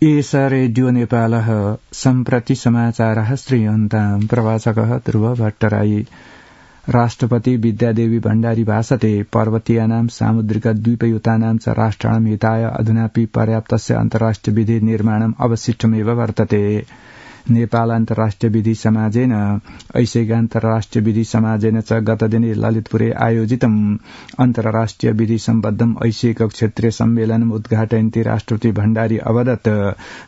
एष रेडियो नेपालः सम्प्रति समाचारः श्रूयन्ताम् प्रवाचकः ध्रुव भट्टराई। राष्ट्रपति विद्यादेवी भण्डारी भाषते पर्वतीयानां सामुद्रिकद्वीपयुतानां च राष्ट्राणां हिताय अधुनापि पर्याप्तस्य अन्तर्राष्ट्रिय विधि निर्माणम् अवशिष्टमेव वर्तते। नेपाल अन्तर्राष्ट्रिय विधि समाजेन ऐशिकान्तर्राष्ट्रिय विधि समाजेन च गतदिने ललितपुरे आयोजितम् अन्तर्राष्ट्रिय विधि सम्बद्धम् ऐशिक क्षेत्रीय सम्मेलनम् उद्घाटयन्ती राष्ट्रपति भण्डारी अवदत्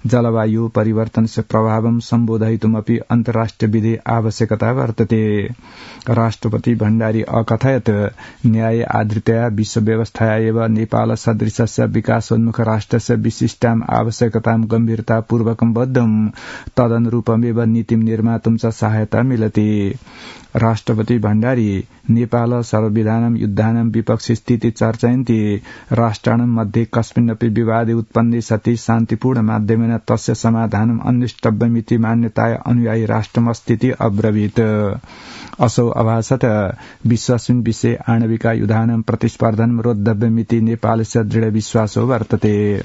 जलवायु परिवर्तनस्य प्रभावं सम्बोधयितुमपि अन्तर्राष्ट्रिय विधि आवश्यकता वर्तते। राष्ट्रपति भण्डारी अकथयत् न्याय आधृतया विश्वव्यवस्थाया एव नेपाल सदृशस्य विकासोन्मुख राष्ट्रस्य विशिष्टाम् आवश्यकतां गम्भीरतापूर्वकं बद्धम् तदनुरूपमेव नीतिं निर्मातुं च सहायता मिलति। राष्ट्रपति भण्डारी नेपाल सर्वविधानं युद्धानां विपक्षी स्थिति चर्चयन्ति राष्ट्राणां मध्ये कस्मिन्नपि विवादे उत्पन्ने सति शान्तिपूर्ण माध्यमेन तस्य समाधानम् अन्वेष्टव्यमिति मान्यताय अनुयायी राष्ट्रमस्तीति अब्रवीत्। असौ अभाषत विश्वास्मिन् विषये आणविकायुधानां प्रतिस्पर्धनं रोद्धव्यमिति नेपालस्य दृढ विश्वासो वर्तते।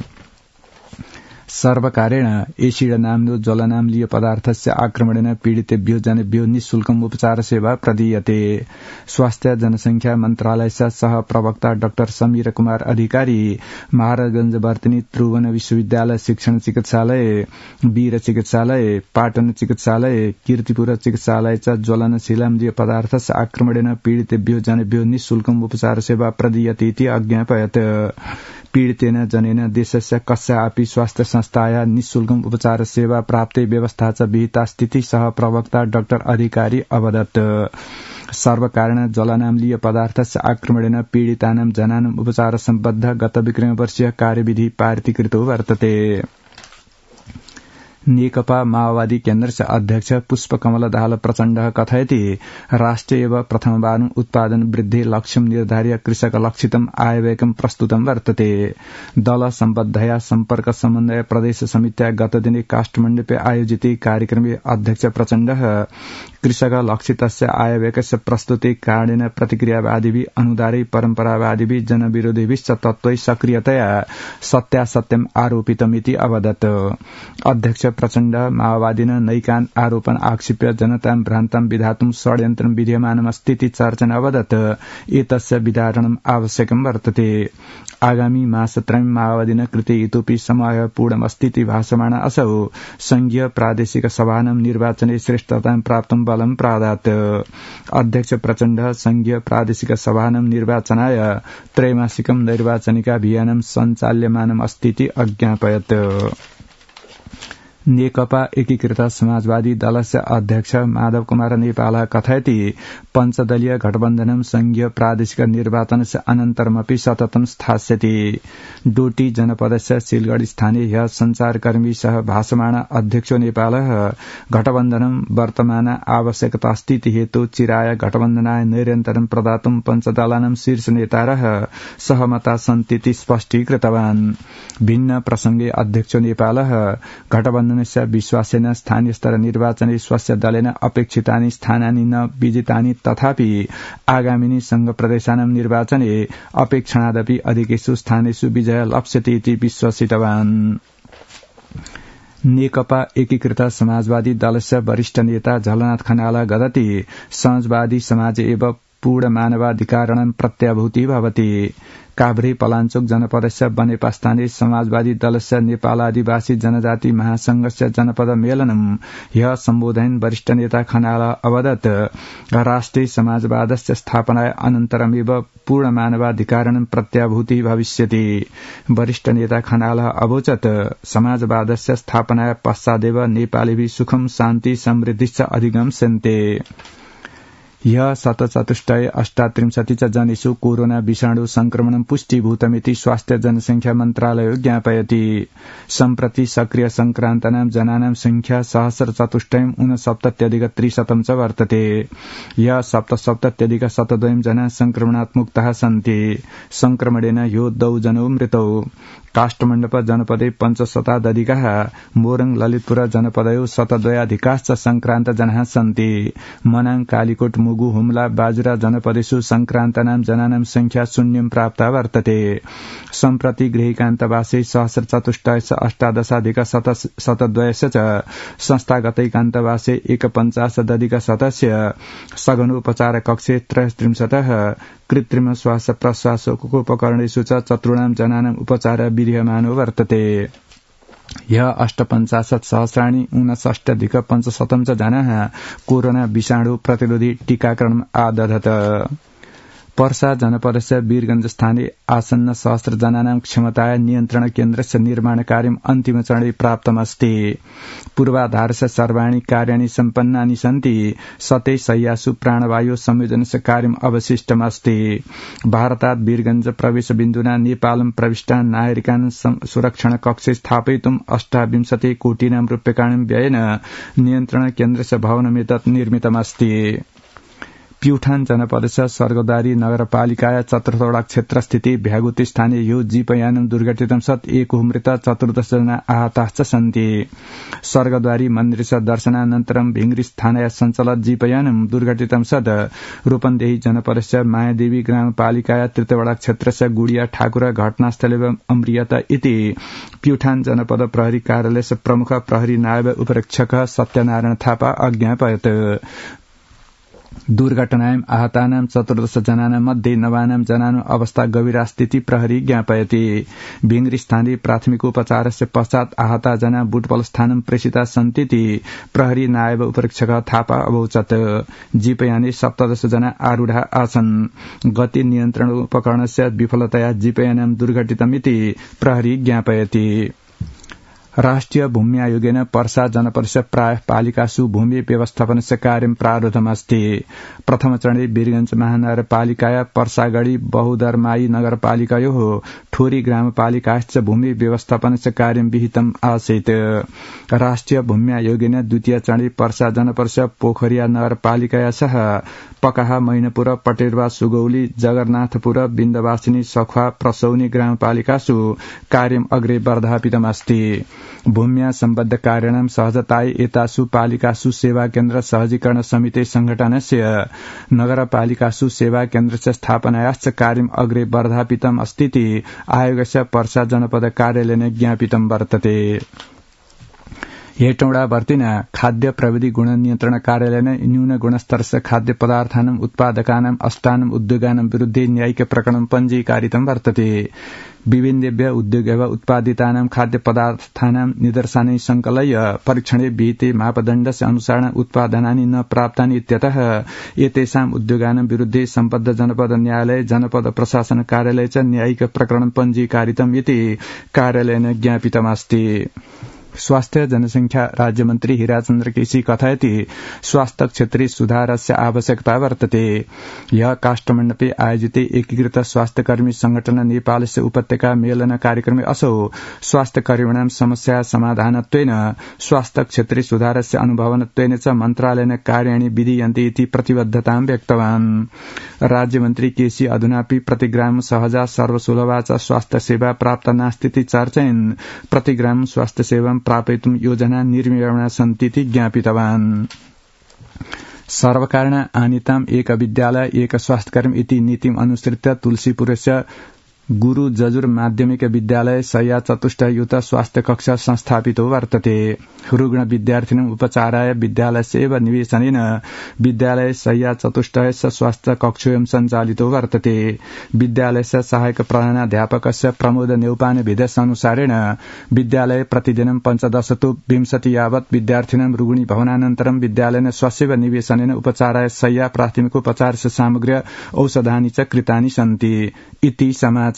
सर्वकारेण एसिड नाम्नो ज्वलनाम्लीय पदार्थस्य आक्रमणेन पीडितेभ्यो जनेभ्यो निःशुल्कम् उपचार सेवा प्रदीयते। स्वास्थ्य जनसंख्या मन्त्रालयस्य सह प्रवक्ता डाक्टर समीर कुमार अधिकारी महाराजगंज वर्तनी त्रिभुवन विश्वविद्यालय शिक्षण चिकित्सालय वीर चिकित्सालय पाटन चिकित्सालय कीर्तिपुर चिकित्सालय च ज्वलनशीलाम्लीय पदार्थस्य आक्रमणेन पीडितेभ्यो जनेभ्यो निःशुल्कम् उपचार सेवा प्रदीयते इति अज्ञापयत्। पीडितेन जनेन देशस्य कस्यापि स्वास्थ्य संस्थाया निःशुल्कम् उपचार सेवा प्राप्ते व्यवस्था च विहिता स्थिति सह प्रवक्ता डाक्टर अधिकारी अवदत्। सर्वकारेण ज्वलनाम्लीय पदार्थस्य आक्रमणेन पीडितानां जनानाम् उपचार सम्बद्ध गत विक्रमवर्षीय कार्यविधि पारितीकृतो वर्तते। नेकपा माओवादी केन्द्रस्य अध्यक्ष पुष्पकमल दाहाल प्रचण्डः कथयति राष्ट्रे एव प्रथमवारं उत्पादन वृद्धि लक्ष्यं निर्धार्य कृषक लक्षितम् आयव्ययकं प्रस्तुतं वर्तते। दल सम्बद्धया सम्पर्क समन्वय प्रदेश समित्या गतदिने काष्ठमण्डपे आयोजिते कार्यक्रमे अध्यक्ष प्रचण्डः कृषक लक्षितस्य आयव्ययकस्य प्रस्तुते कारणेन प्रतिक्रियावादिभिः अनुदारै परम्परावादिभिः जनविरोधिभिश्च तत्त्वै सक्रियतया सत्यासत्यम् आरोपितमिति अवदत्। अध्यक्ष प्रचण्ड माओवादिन नैकान् आरोपण आक्षिप्य जनतां भ्रान्तां विधातुं षड्यन्त्रं विद्यमानमस्तीति चर्चन अवदत् एतस्य विधारणम् आवश्यकं वर्तते। आगामी मासत्रयं माओवादिन कृते इतोपि समयपूर्णमस्तीति भाषमाण असौ संघीय प्रादेशिक सभानां निर्वाचने श्रेष्ठतां प्राप्तुं बलं प्रादात्। अध्यक्ष प्रचण्ड संघीय प्रादेशिक सभानां निर्वाचनाय त्रैमासिकं नैर्वाचनिकाभियानं सञ्चाल्यमानम् अस्तीति अज्ञापयत्। नेकपा एकीकृत समाजवादी दलस्य अध्यक्ष माधव कुमार नेपाल कथयति पञ्चदलीय गठबन्धनं संघीय प्रादेशिक निर्वाचनस्य अनन्तरमपि सततं स्थास्यति। डोटी जनपदस्य सिलगढ़ी स्थानीय ह्य संचारकर्मी सह भाषमाण अध्यक्षो नेपालः गठबन्धनं वर्तमान आवश्यकतास्थिति हेतु चिराय गठबन्धनाय निरन्तरं प्रदातुं पञ्चदलानां शीर्ष नेतारः सहमता सन्तीति स्पष्टीकृतवान्। भिन्न प्रसंगे अध्यक्षो नेपालः गठबन्धन विश्वासेन स्थानीय स्तर निर्वाचने स्वस्य दलेन अपेक्षितानि स्थानानि न विजितानि तथापि आगामिनि संघ प्रदेशानां निर्वाचने अपेक्षणादपि अधिकेषु स्थानेषु विजय लप्स्यते इति विश्वसितवान्। नेकपा एकीकृत समाजवादी दलस्य वरिष्ठ नेता झलनाथ खनाल गदति समाजवादी समाज एव पूर्ण मानवाधिकारणं प्रत्याभूति भवति। काभ्रे पलाञ्चोक जनपदस्य बनेपा स्थानीय समाजवादी दलस्य नेपाल आदिवासी जनजाति महासंघस्य जनपद मेलनं ह्य सम्बोधयन् वरिष्ठ नेता खनाल अवदत् राष्ट्रिय समाजवादस्य स्थापनाय अनन्तरमेव पूर्ण मानवाधिकारणं प्रत्याभूति भविष्यति। वरिष्ठ नेता खनाल अवोचत् समाजवादस्य स्थापनाय पश्चादेव नेपालीभिः सुखं शान्ति समृद्धिश्च अधिगम्स्यन्ते। ह्य 7,438 च जनेषु कोरोना विषाणु संक्रमणं पुष्टीभूतमिति स्वास्थ्य जनसंख्या मन्त्रालयो ज्ञापयति। सम्प्रति सक्रिय संक्रान्तानां जनानां संख्या 1,469,300 च वर्तते। ह्य 7,702 जना संक्रमणात् मुक्ताः सन्ति। संक्रमणेन ह्यो 2 जनो मृतौ। काष्ठमण्डप जनपदे पञ्चशतादधिकाः मोरङ ललितपुर जनपदयो शतद्वयाधिकाश्च संक्रान्त जनाः सन्ति मनाङ कालीकोट मुगु हुम्ला बाजुरा जनपदेषु संक्रान्तानां जनानां संख्या शून्यं प्राप्ता वर्तते सम्प्रति गृहीकान्तवासे सहस्रचतुष्टयश्च अष्टादशाधिक शतद्वयस्य च संस्थागतैकान्तवासे एकपञ्चाशदधिक शतस्य सघनोपचार कक्षे 33 कृत्रिम श्वास प्रश्वासोपकरणेषु च चतुर्णां जनानां उपचार विधीयमानो वर्तते ह्य 58,सहस्राणि 59,500 च जनाः कोरोना विषाणु प्रतिरोधी टीकाकरणम् आदधत पर्सा जनपदस्य वीरगंज स्थाने आसन्न सहस्र जनानां क्षमताय नियन्त्रण केन्द्रस्य निर्माण कार्यम् अन्तिम चरणे प्राप्तमस्ति पूर्वाधारस्य सर्वाणि कार्याणि सम्पन्नानि सन्ति 100 शय्यासु प्राणवायु संयोजनस्य कार्यम् अवशिष्टमस्ति भारतात् वीरगंज प्रवेश बिन्दुना नेपालं प्रविष्टान् नागरिकान् सुरक्षण कक्षे स्थापयितुम् 28 कोटिनां रूप्यकाणां व्ययेन नियन्त्रण केन्द्रस्य भवनमेतत् निर्मितमस्ति प्युठान जनपदस्य स्वर्गद्वारी नगरपालिकाया चतुर्थवटा क्षेत्रस्थिति भ्यागुती स्थाने यो जीपयानं दुर्घटितं सत् एक मृत 14 जना आहताश्च सन्ति स्वर्गद्वारी मन्दिरस्य दर्शनानन्तरं भिङ्ग्री स्थानाय सञ्चालित जीपयानं दुर्घटितं सत् रूपन्देही जनपदस्य मायादेवी ग्रामपालिकाया तृतीयवटा क्षेत्रस्य गुडिया ठाकुर घटनास्थले अम्रियत इति प्युठान जनपद प्रहरी कार्यालयस्य प्रमुख प्रहरी नायब उपरीक्षक सत्यनारायण थापा अज्ञापयत् दुर्घटनायां आहतानां 14 जनानां मध्ये 9 जनानां अवस्था गंभीरा स्थिति प्रहरी ज्ञापयति भिङ्ग्री स्थानीय प्राथमिक उपचारस्य पश्चात् आहता जना बुटवल स्थानं प्रेषिता सन्तीति प्रहरी नायब उपरीक्षक थापा अवोचत् जीपयाने 17 जना आरूढा आसन् गति नियन्त्रण उपकरणस्य विफलतया जीपयानं दुर्घटितमिति प्रहरी ज्ञापयति राष्ट्रिय भूमि आयोगेन पर्सा जनपदस्य प्राय पालिकासु भूमि व्यवस्थापनस्य कार्यं प्रारब्धमस्ति प्रथम चरणे वीरगंज महानगरपालिकाया पर्सागढी बहुदरमाई नगरपालिकायोः ठोरी ग्रामपालिकाश्च भूमि व्यवस्थापनस्य कार्यं विहितम् आसीत् राष्ट्रिय भूमि आयोगेन द्वितीय चरणे पर्सा जनपदस्य पोखरिया नगरपालिकाया सह पकाहा मैनपुर पटेरवा सुगौली जगन्नाथपुर बिन्दवासिनी सखुवा प्रसौनी ग्रामपालिकासु कार्यम् अग्रे वर्धापितमस्ति भूम्या सम्बद्ध कार्याणां सहजतायै एतासु पालिकासु सेवा केन्द्र सहजीकरण समिति संघटनस्य नगरपालिकासु सेवा केन्द्रस्य स्थापनायाश्च कार्यम् अग्रे वर्धापितम् अस्तीति आयोगस्य पर्सा जनपद कार्यालयेन ज्ञापितं वर्तते हेटौडा वर्तिना खाद्य प्रविधि गुण नियन्त्रण कार्यालयेन न्यून गुणस्तरस्य खाद्य पदार्थानां उत्पादकानां अष्टानां उद्योगानां विरुद्धे न्यायिक प्रकरणं पञ्जीकारितं वर्तते विभिन्नेभ्य उद्योगेव उत्पादितानां खाद्य पदार्थानां निदर्शनै संकलय्य परीक्षणे विहिते मापदण्डस्य अनुसारेण उत्पादनानि न प्राप्तानि इत्यतः एतेषाम् उद्योगानां विरुद्धे सम्बद्ध जनपद न्यायालय जनपद प्रशासन कार्यालय च न्यायिक प्रकरणं पञ्जीकारितम् इति कार्यालयेन ज्ञापितमस्ति स्वास्थ्य जनसंख्या राज्यमन्त्री हिराचन्द्र केसी कथयति स्वास्थ्य क्षेत्रे सुधारस्य आवश्यकता वर्तते यह काष्ठमण्डपे आयोजिते एकीकृत स्वास्थ्यकर्मी संगठन नेपालस्य उपत्यका मेलन कार्यक्रमे असौ स्वास्थ्यकर्मिणां समस्या समाधानत्वेन स्वास्थ्य क्षेत्रे सुधारस्य अनुभवनत्वेन च मन्त्रालयेन कार्याणि विधीयन्ते इति प्रतिबद्धतां व्यक्तवान् राज्यमन्त्री केसी अधुनापि प्रतिग्राम सहजा सर्वसुलभा च स्वास्थ्य सेवा प्राप्त नास्तीति चर्चयन् प्रतिग्राम स्वास्थ्य सेवा प्रापयितुं योजना निर्मीयमाणा सन्तीति ज्ञापितवान् सर्वकारेण आनीताम् एक विद्यालय एक स्वास्थ्यकर्मी इति नीतिम् अनुसृत्य तुलसीपुरस्य गुरु जजुर माध्यमिक विद्यालय शय्या चतुष्टयुत स्वास्थ्य कक्षा संस्थापितो वर्तते रुग्ण विद्यार्थिनाम् उपचाराय विद्यालयस्य एव निवेशनेन विद्यालय शय्या चतुष्टयस्य स्वास्थ्य कक्षोऽयं सञ्चालितो वर्तते विद्यालयस्य सहायक प्रधानाध्यापकस्य प्रमोद नेउपाने भिदस्यानुसारेण विद्यालये प्रतिदिनं 15 तु 20 यावत् विद्यार्थिनां रुग्णी भवनानन्तरं विद्यालयेन स्वस्यैव निवेशनेन उपचाराय शय्या प्राथमिकोपचारस्य सामग्र्य औषधानि च कृतानि सन्ति इति समाचारः।